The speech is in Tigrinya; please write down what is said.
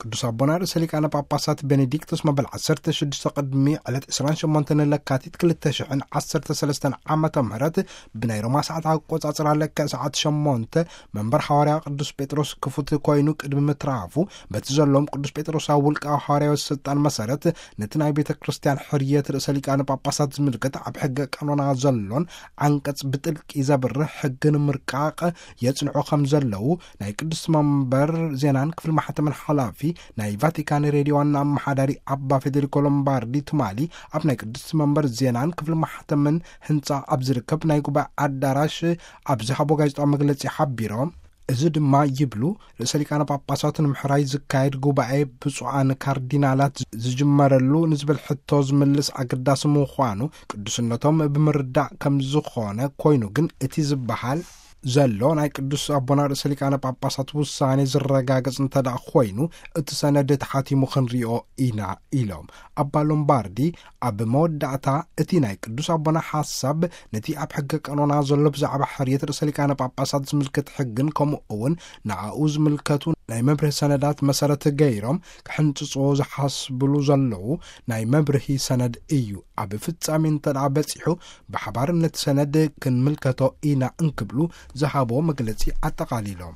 ቅዱስ ኣቦና ርእሰ ሊቃነ ጳጳሳት ቤኔዲክቶስ መበል ዓሰርተ ሽዱሽተ ቅድሚ ዕለት ዕስራን ሸሞንተን ለካቲት ክልተ ሽሕን ዓሰርተ ሰለስተን ዓመተ ምህረት ብናይ ሮማ ሰዓት ኣቆጻጽራ ለክዕ ሰዓት ሸሞንተ መንበር ሓዋርያ ቅዱስ ጴጥሮስ ክፉት ኮይኑ ቅድሚ ምትራፉ፣ በቲ ዘለዎም ቅዱስ ጴጥሮሳዊ ውልቃዊ ሓዋርያዊ ስልጣን መሰረት ነቲ ናይ ቤተ ክርስቲያን ሕርየት ርእሰ ሊቃነ ጳጳሳት ዝምልከት ኣብ ሕገ ቀኖና ዘሎን ዓንቀጽ ብጥልቂ ዘብርህ ሕግን ምርቃቕ የጽንዑ ከም ዘለዉ ናይ ቅዱስ መንበር ዜናን ክፍሊ ማሕተምን ሓላፊ ናይ ቫቲካን ሬድዮ ዋና ኣመሓዳሪ ኣባ ፌዴሪኮ ሎምባርዲ ትማሊ ኣብ ናይ ቅዱስ መንበር ዜናን ክፍሊ ማሕተምን ህንጻ ኣብ ዝርከብ ናይ ጉባኤ ኣዳራሽ ኣብ ዝሃቦ ጋዜጣዊ መግለጺ ሓቢሮም። እዚ ድማ ይብሉ፣ ርእሰ ሊቃነ ጳጳሳት ንምሕራይ ዝካየድ ጉባኤ ብፁዓን ካርዲናላት ዝጅመረሉ ንዝብል ሕቶ ዝምልስ ኣገዳሲ ምዃኑ ቅዱስነቶም ብምርዳእ ከም ዝኾነ ኮይኑ፣ ግን እቲ ዝበሃል ዘሎ ናይ ቅዱስ ኣቦና ርእሰ ሊቃነ ጳጳሳት ውሳኔ ዝረጋገጽ እንተ ደኣ ኮይኑ፣ እቲ ሰነድ ተሓቲሙ ክንሪኦ ኢና ኢሎም። ኣባ ሎምባርዲ ኣብ መወዳእታ፣ እቲ ናይ ቅዱስ ኣቦና ሓሳብ ነቲ ኣብ ሕገ ቀኖና ዘሎ ብዛዕባ ሕርየት ርእሰ ሊቃነ ጳጳሳት ዝምልከት ሕግን ከምኡ እውን ንኣኡ ዝምልከቱ ናይ መብርሂ ሰነዳት መሰረት ገይሮም ክሕንጽጽዎ ዝሓስብሉ ዘለዉ ናይ መብርሂ ሰነድ እዩ። ኣብ ፍጻሜ እንተ ደኣ በጺሑ ብሓባር ነቲ ሰነድ ክንምልከቶ ኢና እንክብሉ ዝሃቦ መግለጺ ኣጠቓሊሎም።